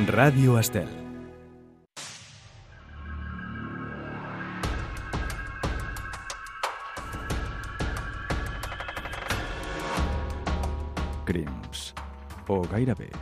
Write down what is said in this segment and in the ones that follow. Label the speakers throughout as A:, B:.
A: Ràdio Estel. Crims. O gairebé.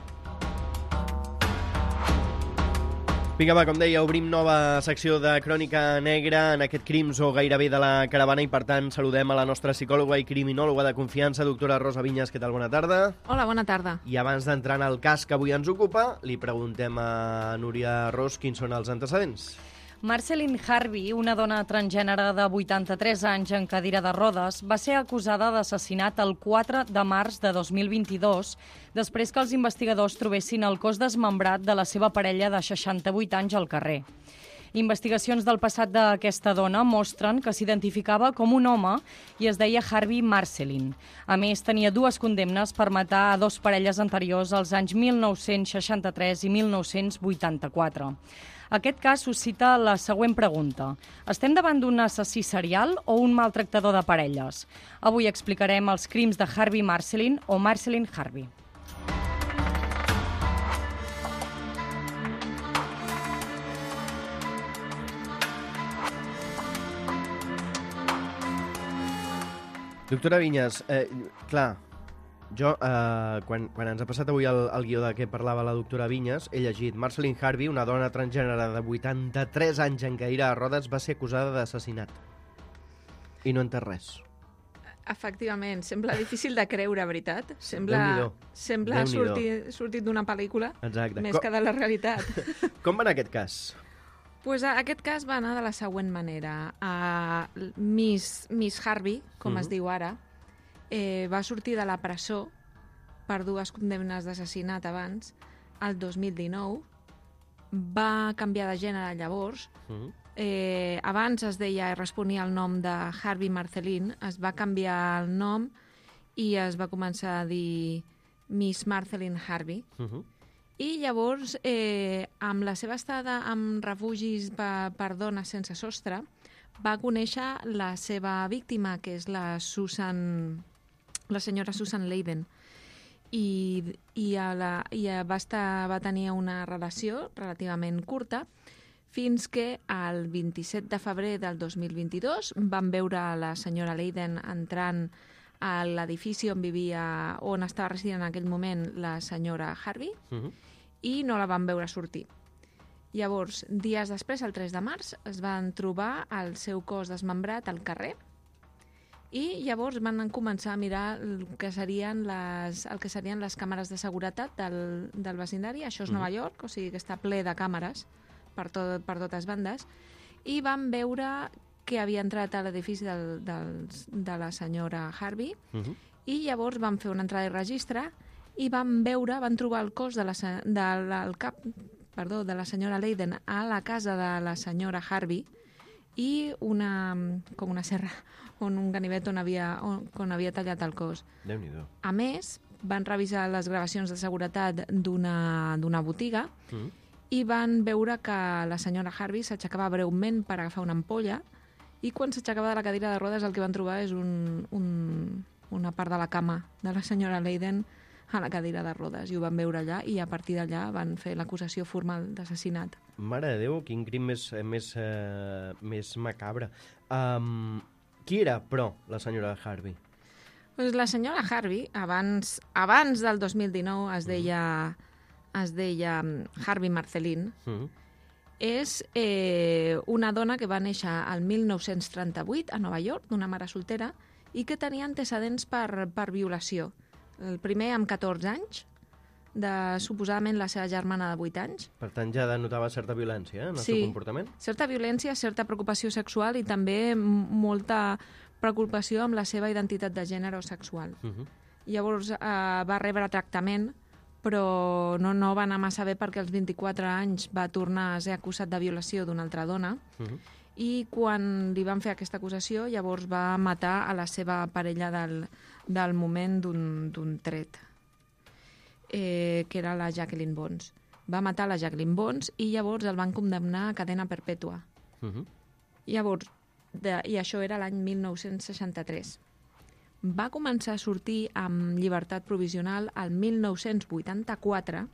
B: Vinga, va, com deia, obrim nova secció de Crònica Negra en aquest Crims o gairebé de la caravana i, per tant, saludem a la nostra psicòloga i criminòloga de confiança, doctora Rosa Vinyes. Què tal? Bona tarda.
C: Hola, bona tarda.
B: I abans d'entrar en el cas que avui ens ocupa, li preguntem a Núria Ros quins són els antecedents.
C: Marceline Harvey, una dona transgènere de 83 anys en cadira de rodes, va ser acusada d'assassinat el 4 de març de 2022, després que els investigadors trobessin el cos desmembrat de la seva parella de 68 anys al carrer. Investigacions del passat d'aquesta dona mostren que s'identificava com un home i es deia Harvey Marceline. A més, tenia 2 condemnes per matar a 2 parelles anteriors als anys 1963 i 1984. Aquest cas suscita la següent pregunta. Estem davant d'un assassí serial o un maltractador de parelles? Avui explicarem els crims de Harvey Marceline o Marceline Harvey.
B: Doctora Vinyes, clar, jo, quan ens ha passat avui el guió de què parlava la doctora Vinyes, he llegit Marceline Harvey, una dona transgènere de 83 anys en cadira de rodes, va ser acusada d'assassinat. I no entès res.
D: Efectivament, sembla difícil de creure, veritat? Sembla sortit d'una pel·lícula.
B: Exacte.
D: Més que de la realitat.
B: Com va anar aquest cas?
D: Pues aquest cas va anar de la següent manera. Miss Harvey, com es diu ara, va sortir de la presó per 2 condemnes d'assassinat abans, el 2019. Va canviar de gènere llavors. Abans es deia, responia al nom de Harvey Marceline, es va canviar el nom i es va començar a dir Miss Marceline Harvey. I llavors, amb la seva estada en refugis per dones sense sostre, va conèixer la seva víctima, que és la senyora Susan Leyden. Va tenir una relació relativament curta, fins que el 27 de febrer del 2022 van veure la senyora Leyden entrant a l'edifici on estava residint en aquell moment la senyora Harvey, i no la van veure sortir. Llavors, dies després, el 3 de març, es van trobar el seu cos desmembrat al carrer i llavors van començar a mirar el que serien les càmeres de seguretat del vecindari. Això és Nova York, o sigui que està ple de càmeres per totes bandes, i van veure que havia entrat a l'edifici de la senyora Harvey, i llavors van fer una entrada i registre i van trobar el cos de la senyora Leyden a la casa de la senyora Harvey i com una serra, un ganivet on havia tallat el cos.
B: Déu-n'hi-do.
D: A més, van revisar les gravacions de seguretat d'una botiga i van veure que la senyora Harvey s'aixecava breument per agafar una ampolla i quan s'aixecava de la cadira de rodes el que van trobar és una part de la cama de la senyora Leyden a la cadira de rodes, i ho van veure allà, i a partir d'allà van fer l'acusació formal d'assassinat.
B: Mare de Déu, quin crim més macabre. Qui era, però, la senyora Harvey?
D: Pues la senyora Harvey, abans del 2019 es deia Harvey Marceline. És una dona que va néixer al 1938 a Nova York, d'una mare soltera, i que tenia antecedents per violació. El primer amb 14 anys, de suposadament la seva germana de 8 anys.
B: Per tant, ja denotava certa violència en el seu comportament?
D: Sí, certa violència, certa preocupació sexual i també molta preocupació amb la seva identitat de gènere o sexual. Llavors va rebre tractament, però no va anar massa bé perquè als 24 anys va tornar a ser acusat de violació d'una altra dona, i quan li van fer aquesta acusació, llavors va matar a la seva parella del moment d'un tret, que era la Jacqueline Bonds. Va matar la Jacqueline Bonds i llavors el van condemnar a cadena perpètua. Llavors, i això era l'any 1963. Va començar a sortir amb llibertat provisional al 1984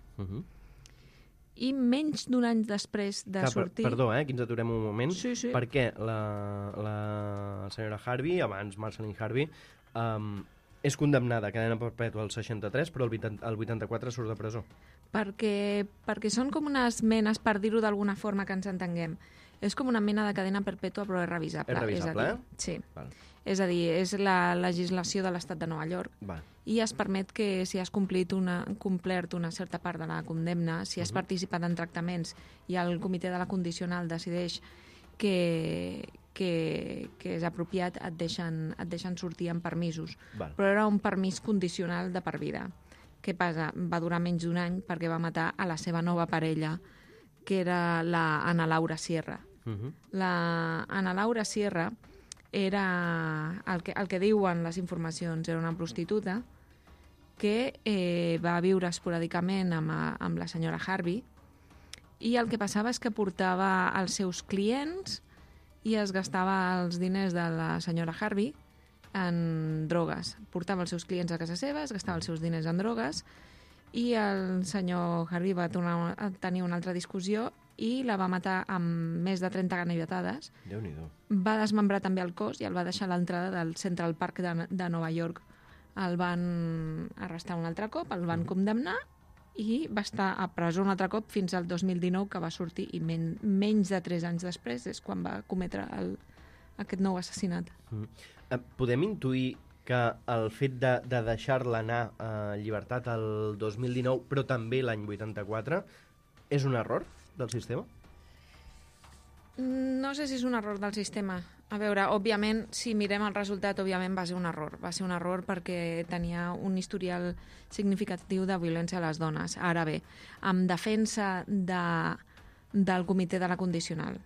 D: i menys d'un any després de sortir...
B: Perdó, aquí ens aturem un moment.
D: Sí.
B: Perquè la senyora Harvey, abans Marceline Harvey, és condemnada a cadena perpètua al 63, però el 84 surt de presó.
D: Perquè són com unes menes, per dir-ho d'alguna forma que ens entenguem. És com una mena de cadena perpètua, però és revisable.
B: És revisable,
D: Sí.
B: Val.
D: És a dir, és la legislació de l'estat de Nova York
B: Val.
D: i es permet que si has complert una certa part de la condemna, si has participat en tractaments i el comitè de la condicional decideix que és apropiat, et deixen sortir amb permisos.
B: Val.
D: Però era un permís condicional de per vida. Què passa? Va durar menys d'un any perquè va matar a la seva nova parella, que era la Ana Laura Sierra. La Ana Laura Sierra era, el que diuen les informacions, era una prostituta que va viure esporàdicament amb la senyora Harvey, i el que passava és que portava els seus clients i es gastava els diners de la senyora Harvey en drogues. Portava els seus clients a casa seva, es gastava els seus diners en drogues, i el senyor Harvey va tornar a tenir una altra discussió i la va matar amb més de 30 ganivotades.
B: Déu-n'hi-do.
D: Va desmembrar també el cos i el va deixar a l'entrada del Central Park de Nova York. El van arrestar un altre cop, el van condemnar i va estar a presó un altre cop fins al 2019, que va sortir, i menys de 3 anys després és quan va cometre aquest nou assassinat.
B: Podem intuir que el fet de deixar-la anar a llibertat el 2019, però també l'any 84, és un error del sistema?
D: No sé si és un error del sistema. A veure, òbviament, si mirem el resultat, òbviament va ser un error. Va ser un error perquè tenia un historial significatiu de violència a les dones. Ara bé, en defensa del comitè de la condicional,